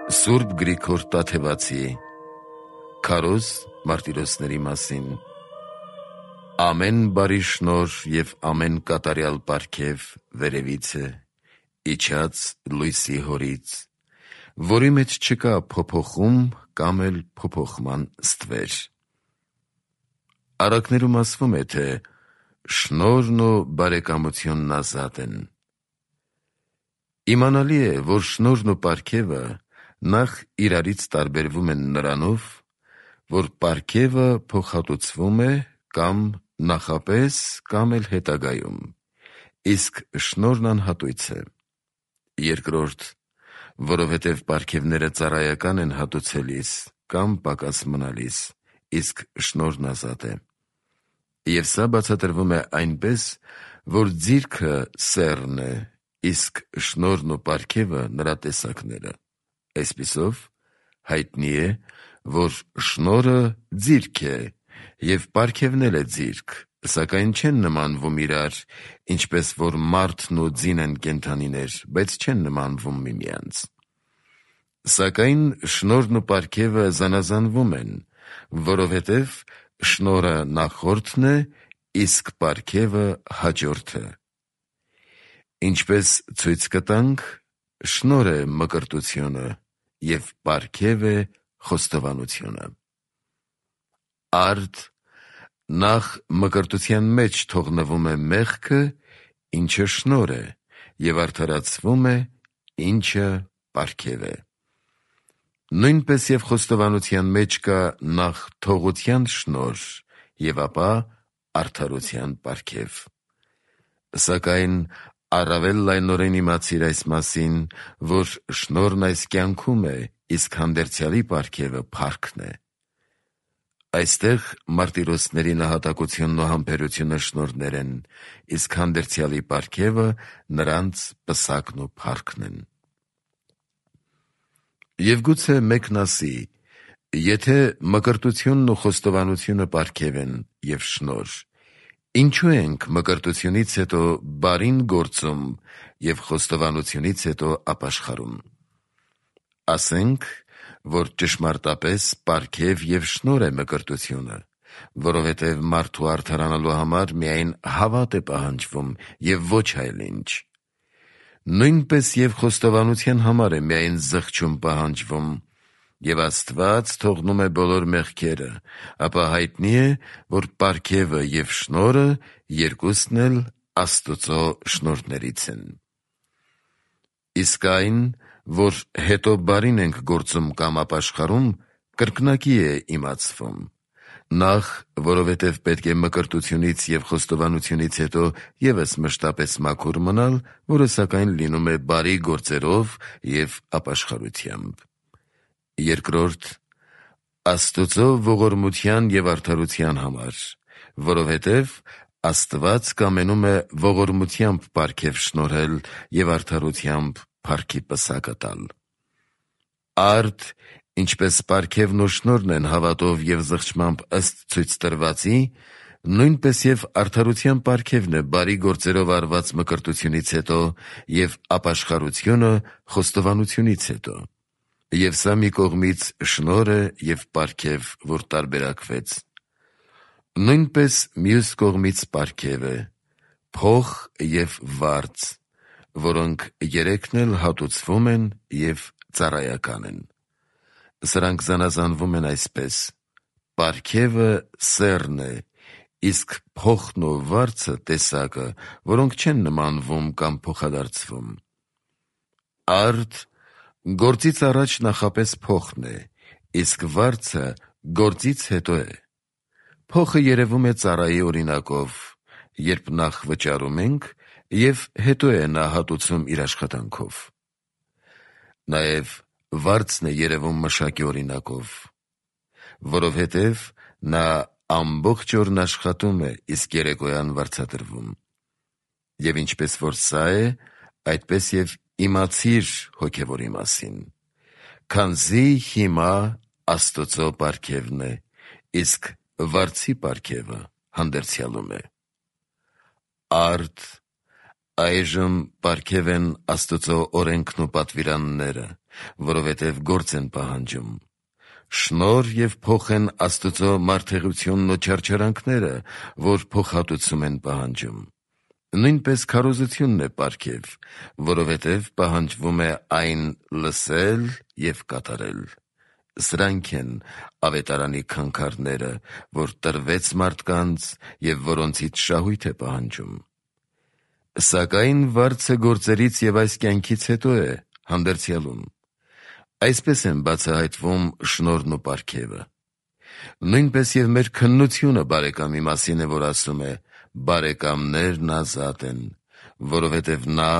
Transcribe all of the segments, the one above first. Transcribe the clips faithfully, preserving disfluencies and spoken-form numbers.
Սուրբ Գրիգոր Տաթևացի Քարոզ մարտիրոսների մասին. Ամեն բարի շնորհ և ամեն կատարյալ պարգև վերևից է, իջած լույսի Հորից, որի մեջ չկա փոփոխում կամ էլ փոփոխման ստվեր։ Առակներում ասվում է, թե շնորհն ու բարեկամությունն ազատ են։ Իմանալի է, որ շնորհն ու պարգևը նախ իրարից տարբերվում են նրանով, որ պարգևը փոխհատուցվում է կամ նախապես կամ էլ հետագայում, իսկ շնորհն անհատույց է։ Երկրորդ, որովհետև պարգևները ծառայական են հատուցելիս կամ պակաս մնալիս, իսկ շնորհն ազատ է։ Եվ սա բացատրվում է այնպես, որ ձիրքը սեռն է, իսկ շնորհն ու պարգևը նրա տեսակները։ Այսպիսով, հայտնի է, որ շնորհը ձիրք է, և պարգևն էլ է ձիրք, սակայն չեն նմանվում իրար, ինչպես որ մարդն ու ձին են կենդանիներ, բայց չեն նմանվում միմյանց։ Սակայն շնորհն ու պարգևը զանազանվում են, որովհետև շնորհը նախորդն է, իսկ պարգևը հաջորդը։ Ինչպես ցույց կտանք, շնորհ է մկրտությունը և պարգև է խոստովանությունը։ Արդ նախ մկրտության մեջ թողնվում է մեղքը, ինչը շնորհ է, և արդարացվում է, ինչը պարգև է։ Նույնպես և խոստովանության մեջ կա նախ թողության շնորհ և ապա արդարության պարգև։ Սակայն առավել լայնորեն իմացիր այս մասին, որ շնորհն այս կյանքում է, իսկ հանդերձյալի պարգևը փառքն է։ Այստեղ մարտիրոսների նահատակությունն ու համբերությունը շնորհներ են, իսկ հանդերձյալի պարգևը նրանց պսակն ու փառքն են։ Եվ գուցե մեկն ասի. եթե մկրտությունն ու խոստովանությունը պարգև են և շնորհ, ինչո՞ւ ենք մկրտությունից հետո բարին գործում և խոստովանությունից հետո ապաշխարում։ Ասենք, որ ճշմարտապես պարգև և շնորհ է մկրտությունը, որովհետև մարդու արդարանալու համար միայն հավատ է պահանջվում և ոչ այլ ինչ։ Նույնպես և խոստովանության համար է միայն զղջում պահանջվում, և Աստված թողնում է բոլոր մեղքերը, ապա հայտնի է, որ պարգևը և շնորհը երկուսն էլ Աստծո շնորհներից են։ Իսկ այն, որ հետո բարին ենք գործում կամ ապաշխարում, կրկնակի է իմացվում։ Նախ, որովհետև պետք է մկրտությունից և խոստովանությունից հետո ևս մշտապես մաքուր մնալ, որը սակայն լինում է բարի գործերով և ապաշխարությամբ։ Երկրորդ, Աստծո ողորմության և արդարության համար, որովհետև Աստված կամենում է ողորմությամբ պարգև շնորհել և արդարությամբ փառքի պսակը տալ։ Արդ ինչպես պարգևն ու շնորհն են հավատով և զղջմամբ ըստ ցույց տրվածի, նույնպես և արդարության պարգևն է բարի գործերով արված մկրտությունից հետո և ապաշխարությունը խոստովանությունից հետո։ Եվ սա մի կողմից շնորհ է և պարգև, որ տարբերակվեց։ Նույնպես մյուս կողմից պարգև է, փող և վարձ, որոնք երեքն էլ հատուցվում են և ծառայական են։ Սրանք զանազանվում են այսպես. պարգևը սեռն է, իսկ փոխն ու վարձը տեսակը, որոնք չեն նմանվում կամ փոխադարձվում։ Արդ գործից առաջ նախապես փոխն է, իսկ վարձը գործից հետո է։ Փոխը երևում է ծառայի օրինակով, երբ նախ վճարում ենք, և հետո է նա հատուցում իր աշխատանքով։ Նաև վարձն է երևում մշակի օրինակով, որովհետև նա ամբողջ օրն աշխատում է, իսկ երեկոյան վարձատրվում։ Եվ ինչպես որ սա է, այդպես և իմացիր հոգևորի մասին, քանզի հիմա Աստծո պարգևն է, իսկ վարձի պարգևը հանդերձյալում է։ Արդ Այժմ պարգև են Աստծո օրենքն ու պատվիրանները, որովհետև գործ են պահանջում։ Շնորհ և փոխ են Աստծո մարդեղությունն ու չարչարանքները, որ փոխհատուցում են պահանջում։ Նույնպես քարոզությունն է պարգև, որովհետև պահանջվում է այն լսել և կատարել։ Սրանք են ավետարանի քանքարները, որ տրվեց մարդկանց և որոնցից շահույթ է պահանջում։ Սակայն վարձը գործերից և այս կյանքից հետո է, հանդերձյալում։ Այսպես են բացահայտվում շնորհն ու պարգևը։ Նույնպես և մեր քննությունը բարեկամի մասին է, որ ասում է. «Բարեկամներն ազատ են», որովհետև նա,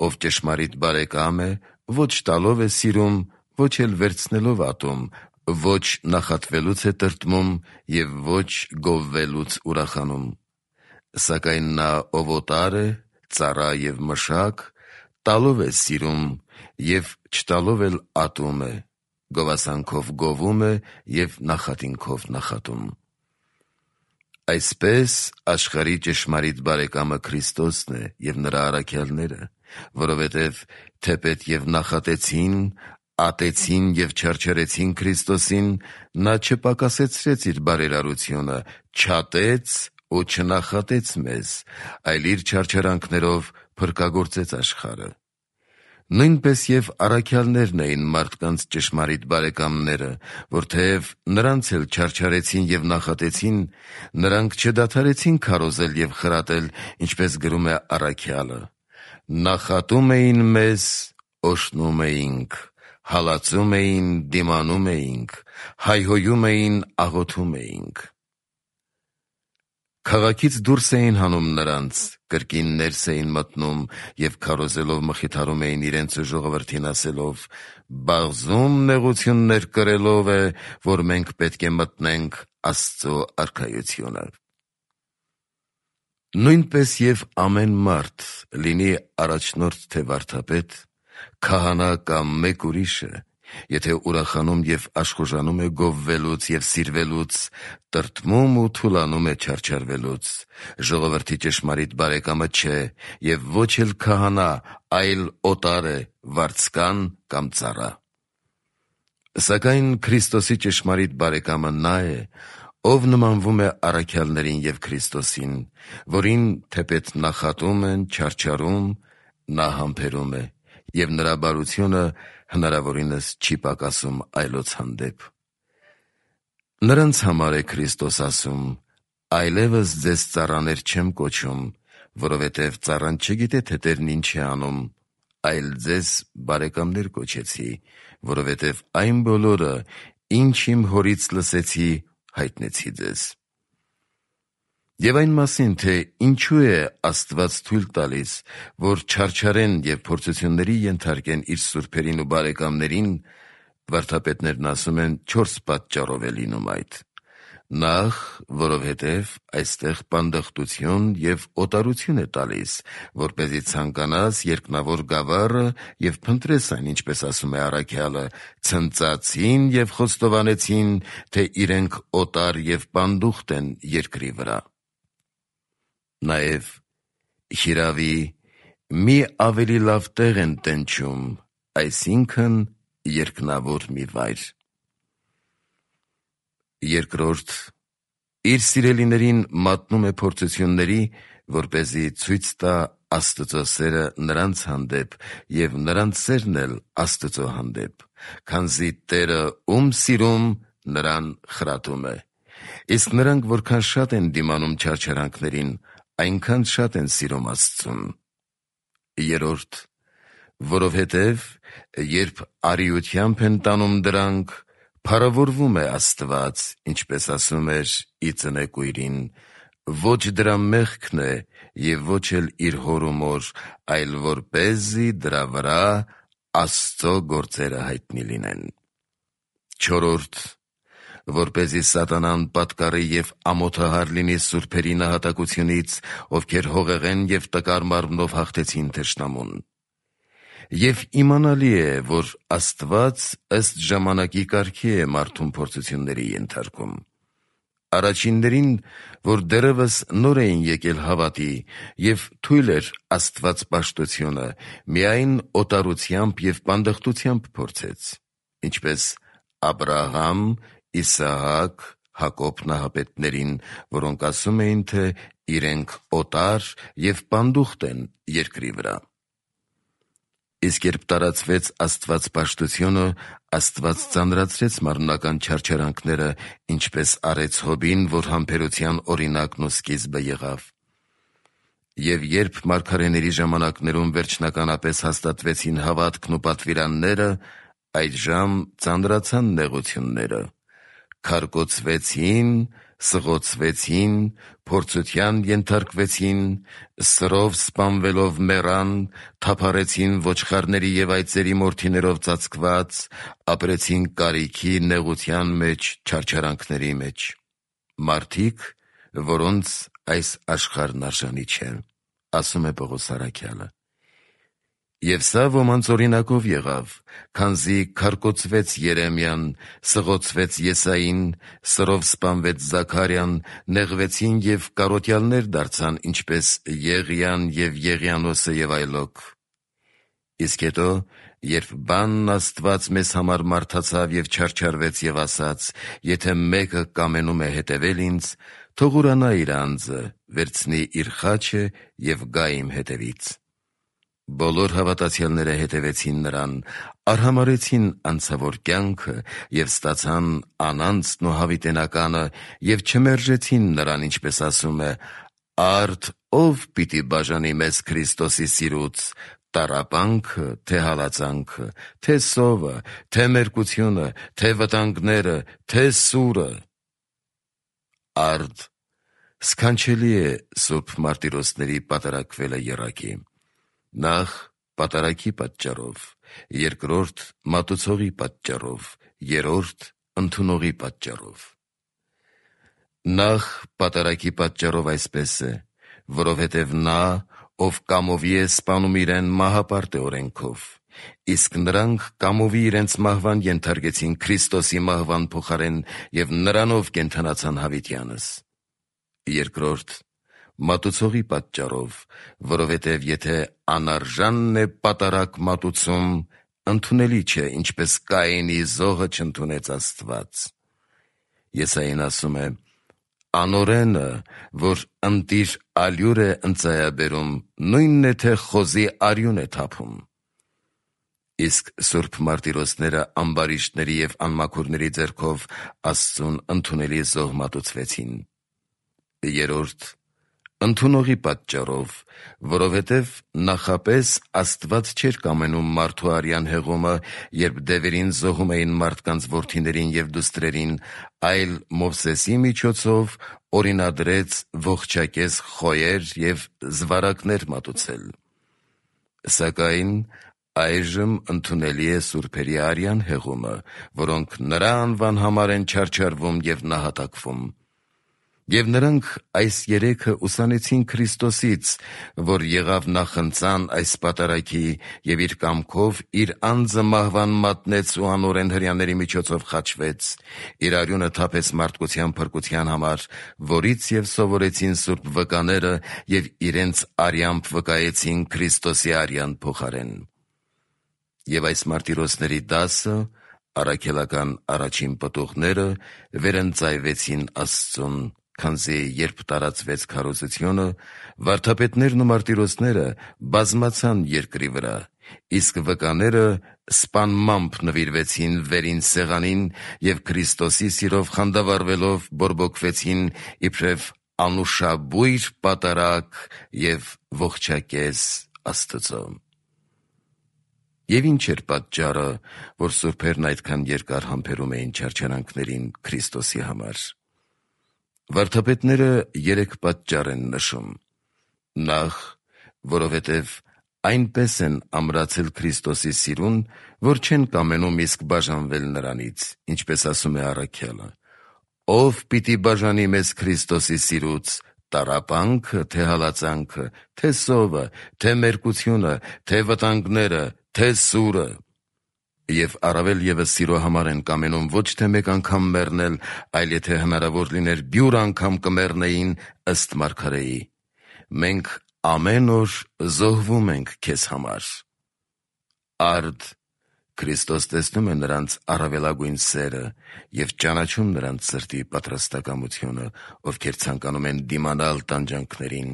ով ճշմարիտ բարեկամ է, ոչ տալով է սիրում, ոչ էլ վերցնելով ատում, ոչ նախատվելուց է տրտմում և ոչ գովվելուց ուրախանում։ Սակայն նա, ով օտար է, ծառա և մշակ, տալով է սիրում և չտալով էլ ատում է, գովասանքով գովում է և նախատինքով նախատում։ Այսպես աշխարհի ճշմարիտ բարեկամը Քրիստոսն է և նրա առաքյալները, որովհետև թեպետ և նախատեցին, ատեցին և չարչարեցին Քրիստոսին, նա չպակասեցրեց իր բարերարությունը, չատեց ու չնախատեց մեզ, այլ իր չարչարանքներով փրկագործեց աշխարհը։ Նույնպես և առաքյալներն էին մարդկանց ճշմարիտ բարեկամները, որ թեև նրանց էլ չարչարեցին և նախատեցին, նրանք չդադարեցին քարոզել և խրատել, ինչպես գրում է առաքյալը. «Նախատում էին մեզ, օրհնում էինք, հալածում էին, դիմանում էինք, հայհոյում էին, աղոթում էինք»։ Քաղաքից դուրս էին հանում նրանց, կրկին ներս էին մտնում և քարոզելով մխիթարում էին իրենց ու ժողովրդին ասելով. «Բաղձում նեղություններ կրելով է, որ մենք պետք է մտնենք Աստծո արքայությունը»։ Նույնպես և ամեն մարդ, լինի առաջնորդ թե վարդապետ, քահանա կամ մեկ ուրիշը, եթե ուրախանում և աշխուժանում է գովվելուց և սիրվելուց, տրտմում ու թուլանում է չարչարվելուց, ժողովրդի ճշմարիտ բարեկամը չէ և ոչ էլ քահանա, այլ օտար է, վարձկան կամ ծառա։ Սակայն Քրիստոսի ճշմարիտ բարեկամը նա է, ով նմանվում է առաքյալներին և Քրիստոսին, որին թեպետ նախատում են, չարչարում, նա համբերում է, և նրա բարությունը հնարավորինս չի պակասում այլոց հանդեպ։ Նրանց համար է Քրիստոս ասում. «Այլևս ձեզ ծառաներ չեմ կոչում, որովհետև ծառան չգիտե, թե տերն ինչ է անում, այլ ձեզ բարեկամներ կոչեցի, որովհետև այն բոլորը, ինչ իմ Հորից լսեցի, հայտնեցի ձեզ»։ Եվ այն մասին, թե ինչու է Աստված թույլ տալիս, որ չարչարեն և փորձությունների ենթարկեն իր սուրբերին ու բարեկամներին, վարդապետներն ասում են չորս պատճառով է լինում այդ. Նախ, որովհետև այստեղ պանդխտություն և օտարություն է տալիս, որպեսզի ցանկանաս երկնավոր գավառը և փնտրես այն, ինչպես ասում է առաքյալը, ցնծացին և խոստովանեցին, թե իրենք օտար և պանդուխտ են երկրի վրա։ Նաև, հիրավի, մի ավելի լավ տեղ են տենչում, այսինքն երկնավոր մի վայր։ Երկրորդ, իր սիրելիներին մատնում է փորձությունների, որպեսզի ցույց տա Աստծո սերը նրանց հանդեպ և նրանց սերն էլ Աստծո հանդեպ, քանզի Տերը ում սիրում, նրան խրատում է։ Իսկ նրանք որքան շատ են դիմանում չարչարանքներին, այնքան շատ են սիրում Աստծուն։ Երրորդ, որովհետև երբ արիությամբ են տանում դրանք, փառավորվում է Աստված, ինչպես ասում էր ի ծնեկույրին. «Ոչ դրա մեղքն է և ոչ էլ իր հոր ու մոր, այլ որպեսզի դրա վրա Աստծո գործերը հայտնի լինեն»։ Չորրորդ, որպեսզի սատանան պատկառի և ամոթահար լինի սուրբերի նահատակությունից, ովքեր հողեղեն և տկար մարմնով հաղթեցին թշնամուն։ Եվ իմանալի է, որ Աստված ըստ ժամանակի կարգի է մարդուն փորձությունների ենթարկում։ առաջիններին, որ դեռևս նոր էին եկել հավատի, և թույլ էր աստվածպաշտությունը, միայն օտարությամբ և պանդխտությամբ փորձեց, ինչպես Աբրահամ, Իսահակ, Հակոբ նահապետներին, որոնք ասում էին, թե իրենք օտար և պանդուխտ են երկրի վրա։ Իսկ երբ տարածվեց աստվածպաշտությունը, Աստված ծանրացրեց մարմնական չարչարանքները, ինչպես արեց Հոբին, որ համբերության օրինակն ու սկիզբը եղավ։ Եվ երբ մարգարեների ժամանակներում վերջնականապես հաստատվեցին հավատքն ու պատվիրանները, այդժամ ծանրացան նեղությունները, քարկոծվեցին, սղոցվեցին, փորձության ենթարկվեցին, սրով սպանվելով մեռան, թափառեցին ոչխարների և այծերի մորթիներով ծածկված, ապրեցին կարիքի, նեղության մեջ, չարչարանքների մեջ։ Մարդիկ, որոնց այս աշխարհն արժանի չէ, ասում է Պողոս առաքյալը։ Եվ սա ոմանց օրինակով եղավ, քանզի քարկոծվեց Երեմիան, սղոցվեց Եսային, սրով սպանվեց Զաքարյան, նեղվեցին և կարոտյալներ դարձան, ինչպես Եղիան և Եղիանոսը և այլոք։ Իսկ հետո, երբ բանն Աստված մեզ համար մարդացավ և չարչարվեց և ասաց. «Եթե մեկը կամենում է հետևել ինձ, թող ուրանա իր անձը, վերցնի իր խաչը և գա իմ հետևից»։ Բոլոր հավատացյալները հետևեցին նրան, արհամարհեցին անցավոր կյանքը և ստացան անանցն ու հավիտենականը և չմերժեցին նրան, ինչպես ասում է. «Արդ ո՞վ պիտի բաժանի մեզ Քրիստոսի սիրուց, տառապանքը, թե հալածանքը, թե սովը, թե մերկությունը, թե վտանգները, թե սուրը»։ Արդ սքանչելի է սուրբ մարտիրոսների պատարագվելը եռակի. նախ պատարագի պատճառով, երկրորդ մատուցողի պատճառով, երրորդ ընդունողի պատճառով։ Նախ պատարագի պատճառով այսպես է, որովհետև նա, ով կամովի է սպանում իրեն, մահապարտ է օրենքով, իսկ նրանք կամովի իրենց մահվան ենթարկեցին Քրիստոսի մահվան փոխարեն և նրանով կենդանացան հավիտյանս։ Երկրորդ մատուցողի պատճառով, որովհետև եթե անարժանն է պատարագ մատուցում, ընդունելի չէ, ինչպես Կայենի զոհը չընդունեց Աստված։ Եսային ասում է. «Անօրենը, որ ընտիր ալյուր է ընծայաբերում, նույնն է, թե խոզի արյուն է թափում»։ Իսկ սուրբ մարտիրոսները ամբարիշտների և անմաքուրների ձեռքով Աստծուն ընդունելի զոհ մատուցվեցին։ Երրորդ ընդունողի պատճառով, որովհետև նախապես Աստված չէր կամենում մարդու արյան հեղումը, երբ դևերին զոհում էին մարդկանց որդիներին և դուստրերին, այլ Մովսեսի միջոցով օրինադրեց ողջակեզ խոյեր և զվարակներ մատուցել։ Սակայն այժմ ընդունելի է սուրբերի արյան հեղումը, որոնք նրա անվան համար են չարչարվում և նահատակվում։ Եվ նրանք այս երեքը ուսանեցին Քրիստոսից, որ եղավ նախընծան այս պատարագի և իր կամքով իր անձը մահվան մատնեց ու անօրեն հրեաների միջոցով խաչվեց, իր արյունը թափեց մարդկության փրկության համար, որից և սովորեցին սուրբ վկաները և իրենց արյամբ վկայեցին Քրիստոսի արյան փոխարեն։ Եվ այս մարտիրոսների դասը, առաքելական առաջին պտուղները, վերընծայվեցին Աստծուն, քանզի երբ տարածվեց քարոզությունը, վարդապետներն ու մարտիրոսները բազմացան երկրի վրա, իսկ վկաները սպանմամբ նվիրվեցին վերին սեղանին և Քրիստոսի սիրով խանդավառվելով բորբոքվեցին իբրև անուշաբույր պատարագ և ողջակեզ Աստծո։ Եվ ի՞նչ էր պատճառը, որ սուրբերն այդքան երկար համբերում էին չարչարանքներին Քրիստոսի համար։ Վարդապետները երեք պատճառ են նշում. Նախ, որովհետև այնպես են ամրացել Քրիստոսի սիրուն, որ չեն կամենում իսկ բաժանվել նրանից, ինչպես ասում է առաքյալը. «Ո՞վ պիտի բաժանի մեզ Քրիստոսի սիրուց, տառապանքը, թե հալածանքը, թե սովը, թե մերկությունը, թե վտանգները, թե սուրը»։ Եվ առավել ևս սիրո համար են կամենում ոչ թե մեկ անգամ մեռնել, այլ եթե հնարավոր լիներ բյուր անգամ կմեռնեին ըստ մարգարեի։ Մենք ամեն օր զոհվում ենք քեզ համար։ Արդ Քրիստոս տեսնում է նրանց առավելագույն սերը և ճանաչում նրանց սրտի պատրաստակամությունը, ովքեր ցանկանում են դիմանալ տանջանքներին,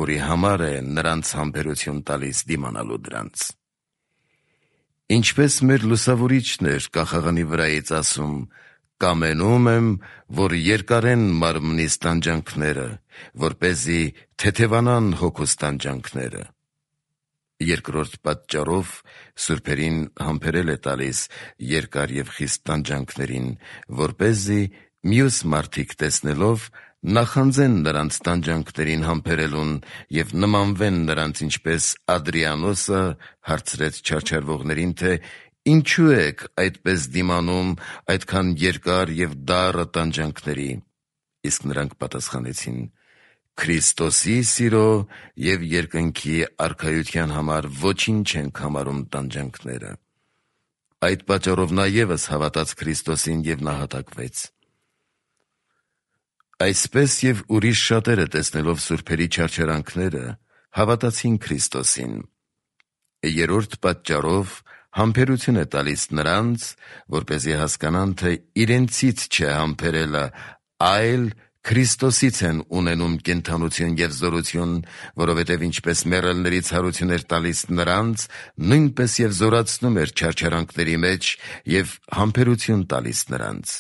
որի համար է նրանց համբերություն տալիս դիմանալու դրանց։ Ինչպես մեր լուսավորիչն էր կախաղանի վրայից ասում. «Կամենում եմ, որ երկարեն մարմնիս տանջանքները, որպեսզի թեթևանան հոգուս տանջանքները»։ Երկրորդ պատճառով սուրբերին համբերել է տալիս երկար և խիստ տանջանքներին, որպեսզի մյուս մարդիկ տեսնելով նախանձեն նրանց տանջանքներին համբերելուն և նմանվեն նրանց, ինչպես Ադրիանոսը հարցրեց չարչարվողներին, թե ինչու եք այդպես դիմանում այդքան երկար և դառը տանջանքների։ Իսկ նրանք պատասխանեցին. «Քրիստոսի սիրո և երկնքի արքայության համար ոչինչ չենք համարում տանջանքները»։ Այդ պատճառով նա ևս հավատաց Քրիստոսին և նահատակվեց։ Այսպես և ուրիշ շատերը տեսնելով սուրբերի չարչարանքները հավատացին Քրիստոսին։ Երրորդ պատճառով համբերություն է տալիս նրանց, որպեսզի հասկանան, թե իրենցից չէ համբերելը, այլ Քրիստոսից են ունենում կենդանություն և զորություն, որովհետև ինչպես մեռելների ցարություն էր տալիս նրանց, նույնպես և զորացնում էր չարչարանքների մեջ և համբերություն տալիս նրանց։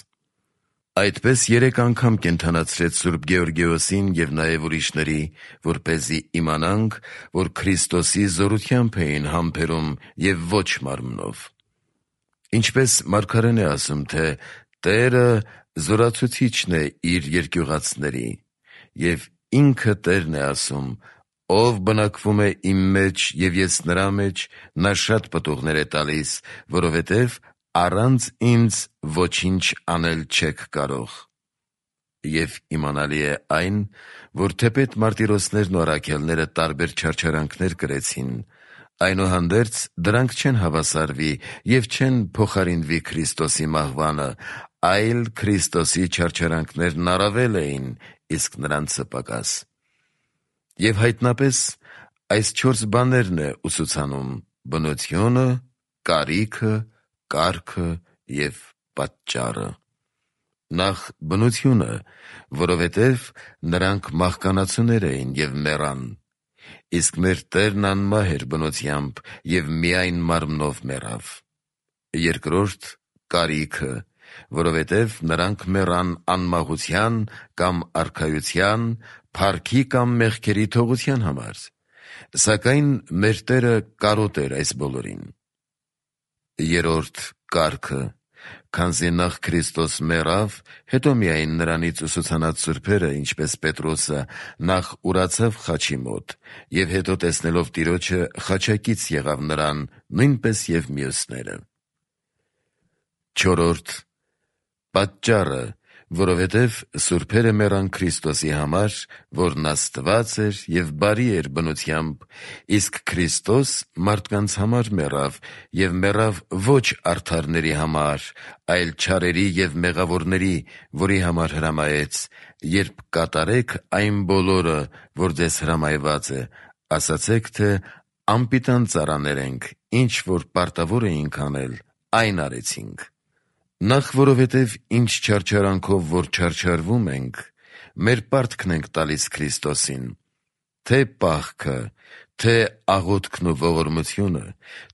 Այդպես երեք անգամ կենդանացրեց Սուրբ Գեորգիոսին և նաև ուրիշների, որպեսզի իմանանք, որ Քրիստոսի զորությամբ էին համբերում և ոչ մարմնով։ Ինչպես մարգարեն է ասում, թե «Տերը զորացուցիչն է իր երկյուղածների», և ինքը Տերն է ասում. «Ով բնակվում է իմ մեջ և ես նրա մեջ, նա շատ պտուղներ է տալիս, որովհետև առանց ինձ ոչինչ անել չեք կարող»։ Եվ իմանալի է այն, որ թեպետ մարտիրոսներն ու առաքյալները տարբեր չարչարանքներ կրեցին, այնուհանդերձ դրանք չեն հավասարվի և չեն փոխարինվի Քրիստոսի մահվանը, այլ Քրիստոսի չարչարանքներն առավել էին, իսկ նրանցը պակաս։ Եվ հայտնապես այս չորս բաներն է ուսուցանում. բնությունը, կարիքը, կարգը և պատճառը։ Նախ բնությունը, որովհետև նրանք մահկանացուներ էին և մեռան, իսկ մեր Տերն անմահ էր բնությամբ և միայն մարմնով մեռավ։ Երկրորդ կարիքը, որովհետև նրանք մեռան անմահության կամ արքայության, փառքի կամ մեղքերի թողության համար, սակայն մեր Տերը կարոտ էր այս բոլորին։ Երրորդ կարգը, քանզի նախ Քրիստոս մեռավ, հետո միայն նրանից ուսուցանած սուրբերը, ինչպես Պետրոսը, նախ ուրացավ խաչի մոտ և հետո տեսնելով Տիրոջը խաչակից եղավ նրան, նույնպես և մյուսները։ Չորրորդ պատճառը, որովհետև սուրբերը մեռան Քրիստոսի համար, որն Աստված էր և բարի էր բնությամբ, իսկ Քրիստոս մարդկանց համար մեռավ և մեռավ ոչ արդարների համար, այլ չարերի և մեղավորների, որի համար հրամայեց, երբ կատարեք այն բոլորը, որ ձեզ հրամայված է, ասացեք, թե անպիտան ծառաներ ենք, ինչ որ պարտավոր էինք անել, այն արեցինք։ Նախ որովհետև ինչ չարչարանքով որ չարչարվում ենք, մեր պարտքն ենք տալիս Քրիստոսին, թե պահքը, թե աղոթքն ու ողորմությունը,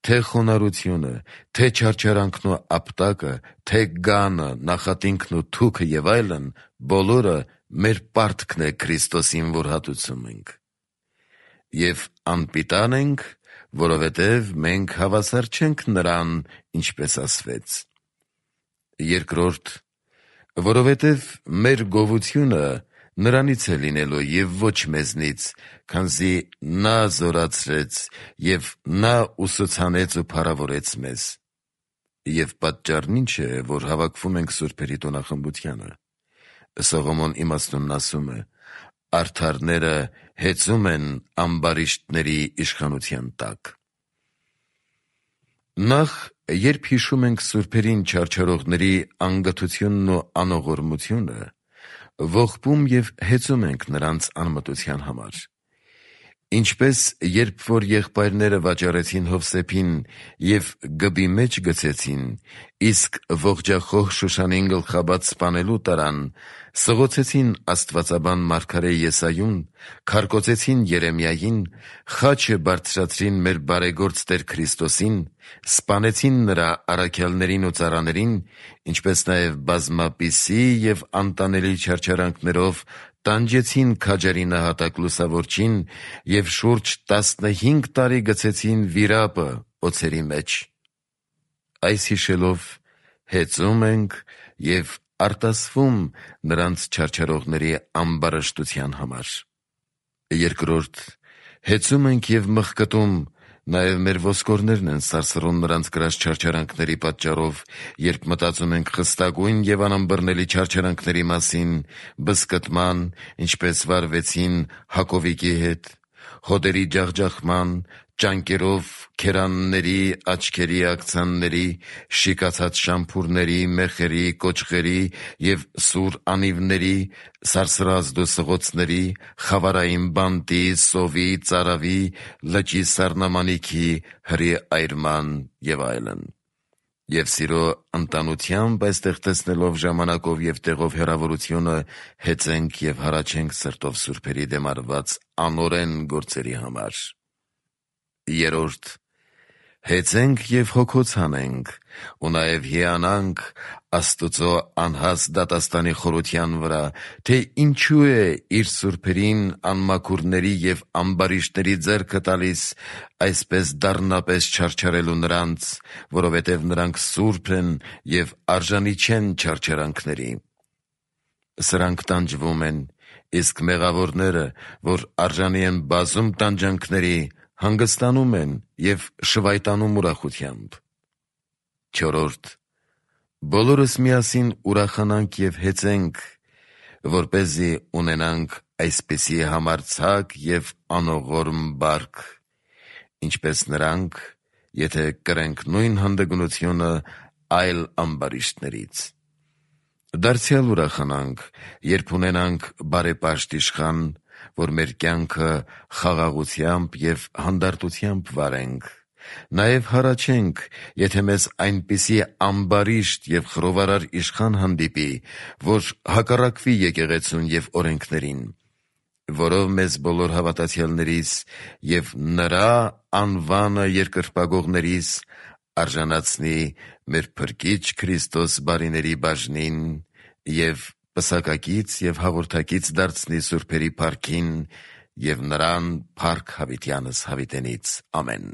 թե խոնարհությունը, թե չարչարանքն ու ապտակը, թե գանը, նախատինքն ու թուքը և այլն, բոլորը մեր պարտքն է Քրիստոսին, որ հատուցում ենք։ Եվ անպիտան ենք, որովհետև մենք հավասար չենք նրան, ինչպես ասվեց։ Երկրորդ, որովհետև մեր գովությունը նրանից է լինելու և ոչ մեզնից, քանզի նա զորացրեց և նա ուսուցանեց ու փառավորեց մեզ։ Եվ պատճառն ի՞նչ է, որ հավաքվում ենք սուրբերի տոնախմբությանը։ Սողոմոն իմաստունն ասում է. «Արդարները հեծում են ամբարիշտների իշխանության տակ»։ Նախ, երբ հիշում ենք սուրբերին չարչարողների անգթությունն ու անողորմությունը, ողբում և հեծում ենք նրանց անմտության համար։ Ինչպես երբ որ եղբայրները վաճառեցին Հովսեփին և գբի մեջ գցեցին, իսկ ողջախոհ Շուշանին գլխաբաց սպանելու տարան, սղոցեցին աստվածաբան մարգարե Եսայուն, քարկոծեցին Երեմիային, խաչը բարձրացրին մեր բարեգործ Տեր Քրիստոսին, սպանեցին նրա առաքյալներին ու ծառաներին, ինչպես նաև բազմապիսի և անտանելի չարչարանքներով տանջեցին քաջարի նահատակ Լուսավորչին և շուրջ տասնհինգ տարի գցեցին վիրապը օձերի մեջ։ Այս հիշելով հեծում ենք և արտասվում նրանց չարչարողների ամբարշտության համար։ Երկրորդ, հեծում ենք և մղկտում, նաև մեր ոսկորներն են սարսռում նրանց կրած չարչարանքների պատճառով, երբ մտածում ենք խստագույն և անըմբռնելի չարչարանքների մասին, բզկտման, ինչպես վարվեցին Հակովիկի հետ, հոտերի ջախջախման, ճանկերով քերանների, աչքերի ակցանների, շիկացած շամփուրների, մեխերի, կոճղերի և սուր անիվների, սարսռազդու սղոցների, խավարային բանտի, սովի, ծարավի, լճի սառնամանիքի, հրի այրման և այլն։ Եվ սիրո ընտանությամբ այստեղ տեսնելով ժամանակով և տեղով հեռավորությունը, հեծենք և հառաչենք սրտով սուրբերի դեմ արված անօրեն գործերի համար։ Երրորդ, հեծենք և հոգոց հանենք ու նաև հիանանք Աստուծո անհաստ դատաստանի խորության վրա, թե ինչու է իր սուրբերին անմաքուրների և ամբարիշտների ձեռքը տալիս այսպես դառնապես չարչարելու նրանց, որովհետև նրանք սուրբ են և արժանի չեն չարչարանքների։ Սրանք տանջվում են, իսկ մեղավորները, որ արժանի են բազում տանջանքների, հանգստանում են և շվայտանում ուրախությամբ։ Չորրորդ, բոլորս միասին ուրախանանք և հեծենք, որպեսզի ունենանք այսպիսի համարձակ և անողորմ բարք, ինչպես նրանք, եթե կրենք նույն հանդգնությունը այլ ամբարիշտներից։ Դարձյալ ուրախանանք, երբ ունենանք բարեպաշտ իշխան, որ մեր կյանքը խաղաղությամբ և հանդարտությամբ վարենք։ Նաև հառաչենք, եթե մեզ այնպիսի ամբարիշտ և խռովարար իշխան հանդիպի, որ հակառակվի եկեղեցուն և օրենքներին, որով մեզ բոլոր հավատացյալներիս և նրա անվանը երկրպագողներիս արժանացնի մեր Փրկիչ Քրիստոս բարիների բաժնին և պսակակից և հաղորդակից դարձնի սուրբերի փառքին և նրան փառք հավիտյանս հավիտենից։ Ամեն։